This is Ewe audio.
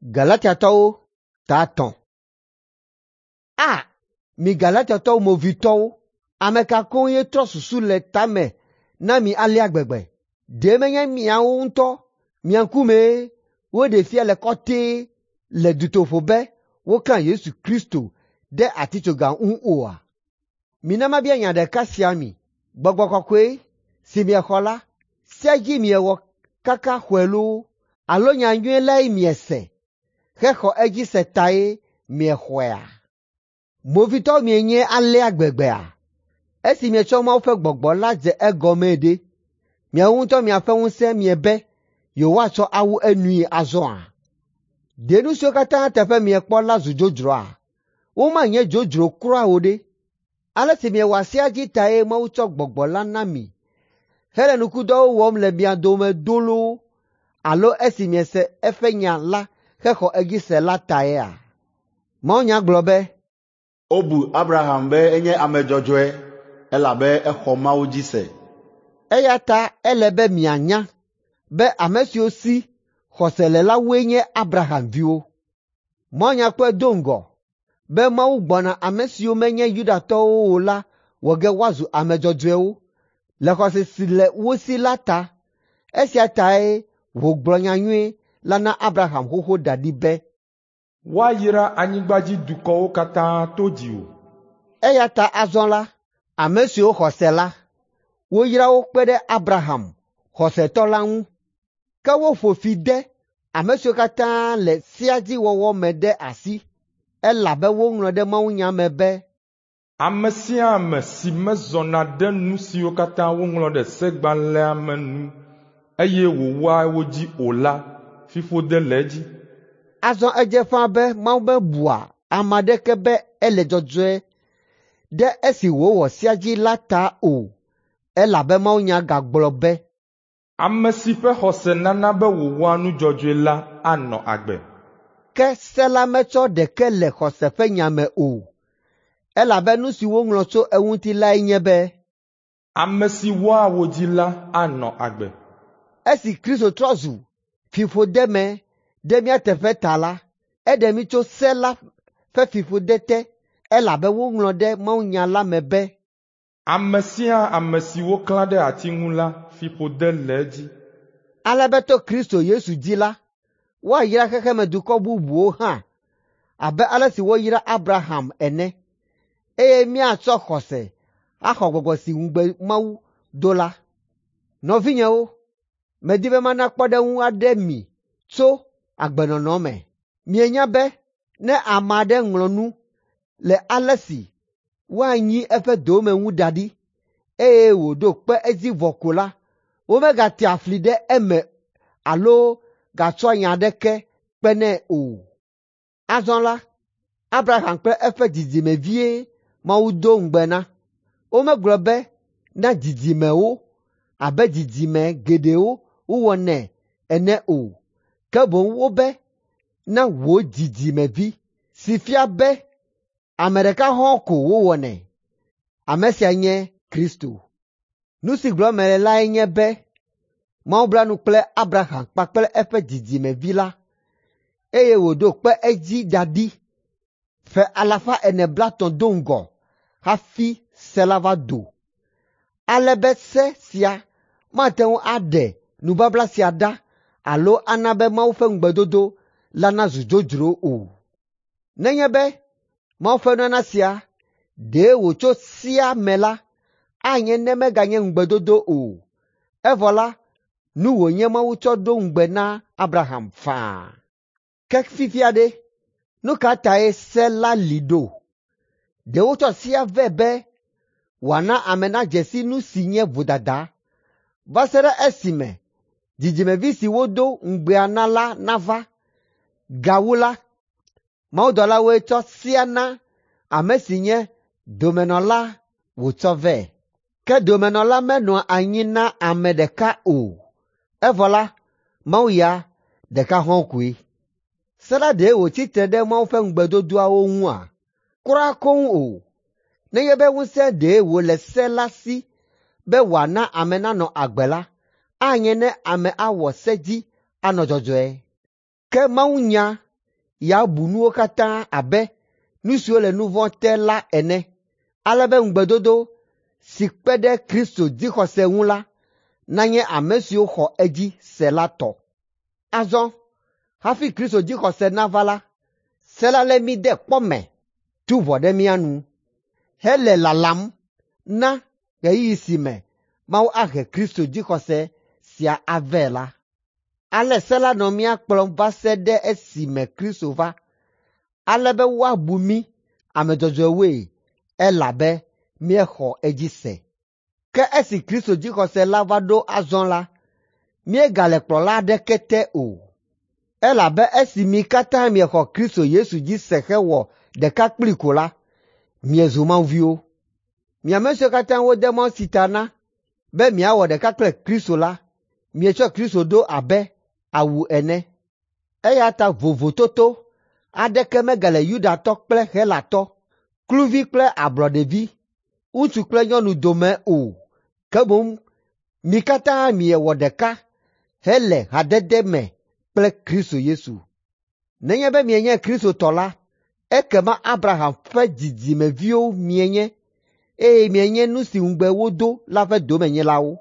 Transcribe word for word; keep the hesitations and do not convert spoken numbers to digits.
Galatiatɔwo ta etɔ̃. A, mi Galatiatɔwo movitɔwo, ame ka koŋ ye trɔ susu le tame na mi alea gbegbe? Ɖe menye miawo ŋutɔ mia ŋkumee woɖee fia le kɔtɛe le dutoƒo be woklã Yesu Kristo ɖe atitsoga ŋu oa? Mina mabia nya ɖeka sia mi: Gbɔgbɔ Kɔkɔe si miexɔ la, sea dzi miewɔ kaka xɔe loo alo nyanyui lae miese hexɔ edzi se tae miexɔea? Movitɔwo mienye alea gbegbea? Esi mietsɔ Mawu ƒe Gbɔgbɔ la dze egɔmee ɖe, miawo ŋutɔ miaƒe ŋusẽ miebe yewoatsɔ awu enui azɔa? Ɖe nu siwo katã teƒe miekpɔ la zu dzodzroa? Womanye dzodzro kura o ɖe! Ale si miewɔa sea dzi tae Mawu tsɔ Gbɔgbɔ la na mi hele nukudɔwo wɔm le mia dome do loo alo esi miese eƒe nya la hexɔ edzi se la taea? Mawunya gblɔ be, Wobu Abraham be enye ame dzɔdzɔe elabe exɔ Mawu dzi se. Eya ta ele be mianya be ame siwo si xɔse le la woe nye Abraham viwo. Mawunya kpɔe do ŋgɔ be Mawu gbɔna ame siwo menye Yudatɔwo o la wɔ ge woazu ame dzɔdzɔewo le xɔse si le wo si la ta. Esia tae wògblɔ nyanyui la na Abraham xoxo da ɖi be, Woayra anyigbadzidukɔwo katã to dziwò. Eya ta azɔ la, ame siwo xɔ se la, woyra wo kpe ɖe Abraham, xɔsetɔ la ŋu. Ke woƒo fi de ame siwo katã le sea dzi wɔwɔ me ɖe asi, elabe woŋlɔ ɖe mawunya me be, Ame sia ame si mezɔna ɖe nu siwo katã woŋlɔ ɖe segbalẽa me nu eye wòwɔa wo dzi o la, fiƒode le edzi. Azɔ edze ƒãa be Mawu mebua ame aɖeke be ele dzɔdzɔe ɖe esi wòwɔ sea dzi la ta o, elabe mawunya gagblɔ be, Ame si ƒe xɔse nana be wòwɔa nu dzɔdzɔe la anɔ agbe. Ke se la metsɔ ɖeke le xɔse ƒe nya me o, elabe nu si woŋlɔ tso eŋuti lae nye be, Ame si wɔa wo dzi la anɔ agbe. Esi Kristo trɔ zu fiƒodeme ɖe mía teƒe ta la, eɖe mí tso se la ƒe fiƒode te, elabe woŋlɔ ɖe mawunya la me be, Ame sia ame si woklã ɖe ati ŋu la, fiƒode le edzi. Ale be to Kristo Yesu dzi la, woayra xexemedukɔ bubuwo hã abe ale si woyra Abraham ene, eye míatsɔ xɔse axɔ gbɔgbɔ si ŋugbe Mawu do la. Nɔvinyewo, medi be mana kpɔɖeŋu aɖe mi tso agbenɔnɔ me. Mienya be ne ame aɖe ŋlɔ nu le ale si woanyi eƒe dome ŋu da ɖi, eye wòɖo kpe edzi vɔ ko la, womegatea fli ɖe eme alo gatsɔa nya aɖeke kpenɛ o. Azɔ la, Abraham kple eƒe dzidzimevie Mawu do ŋugbe na. Womegblɔ be na dzidzimewo abe dzidzime geɖewo wowɔnɛ ene o, ke boŋ wobe na wò dzidzimevi, si fia be ame ɖeka hɔ̃ɔ ko wowɔnɛ. Ame sia nye Kristo. Nu si gblɔm mele lae nye be Mawu bla nu kple Abraham kpakple eƒe dzidzimevi la, eye wòɖo kpe edzi da ɖi ƒe alafa ene blaetɔ̃ do ŋgɔ hafi se la va do, ale be se sia mate ŋu aɖe nubabla sia ɖa alo ana be Mawu ƒe ŋugbedodo la nazu dzodzro o. Nenye be Mawu ƒe nunana sia ɖe wòtso sea me la, anye ne meganye ŋugbedodo o. Evɔ la, nu wònye Mawu tsɔ ɖo ŋugbe na Abraham faa. Ke fifia ɖe, nu ka tae se la li ɖo? Ɖe wotsɔ sea vɛ be wòana ame nadze si nu si nye vodada, va se ɖe esime dzidzimevi si wodo ŋugbea na la nava. Gawu la, mawudɔlawoe tsɔ sea na ame si nye domenɔla wòtsɔ vɛ. Ke domenɔla menɔa anyi na ame ɖeka o, evɔ la, Mawu ya ɖeka hɔ̃ koe. Se la ɖe wòtsi tre ɖe Mawu ƒe ŋugbedodoawo ŋua? Kura koŋ o. Nenye be ŋusẽ ɖe wòle se la si be wòana ame nanɔ agbe la, anye ne ame awɔ se dzi anɔ dzɔdzɔe. Ke Mawunya yeabu nuwo katã abe nu siwo le nu vɔ̃ te la ene, ale be ŋugbedodo si kpe ɖe Kristo dzixɔse ŋu la nanye ame siwo xɔ edzi se la tɔ. Azɔ hafi Kristo dzixɔse nava la, se la lé mí de kpɔ me, tu ʋɔ ɖe mía nu, hele lalam na ɣeyiɣi si me Mawu ahe Kristo dzixɔse sia avɛ la. Ale se la nɔ mía kplɔm va se ɖe esime Kristo va, ale be woabu mí ame dzɔdzɔewoe elabe míexɔ edzi se. Ke esi Kristo dzixɔse la va ɖo azɔ la, míegale kplɔla aɖeke te o. Elabe esi mi katã miexɔ Kristo Yesu dzi se hewɔ ɖeka kplii ko la, miezu Mawu viwo. Mi ame siwo katã wode mawutsi ta na be miawɔ ɖeka kple Kristo la, mietsɔ Kristo ɖo abe awu ene. Eya ta vovototo aɖeke megale Yudatɔ kple Helatɔ, kluvi kple ablɔɖevi, ŋutsu kple nyɔnu dome o, ke boŋ mi katã miewɔ ɖeka hele hadede me kple Kristo Yesu. Nenye be mienye Kristo tɔ la, ekema Abraham ƒe dzidzimeviwo mienye eye mienye nu si ŋugbe wodo la ƒe domenyilawo.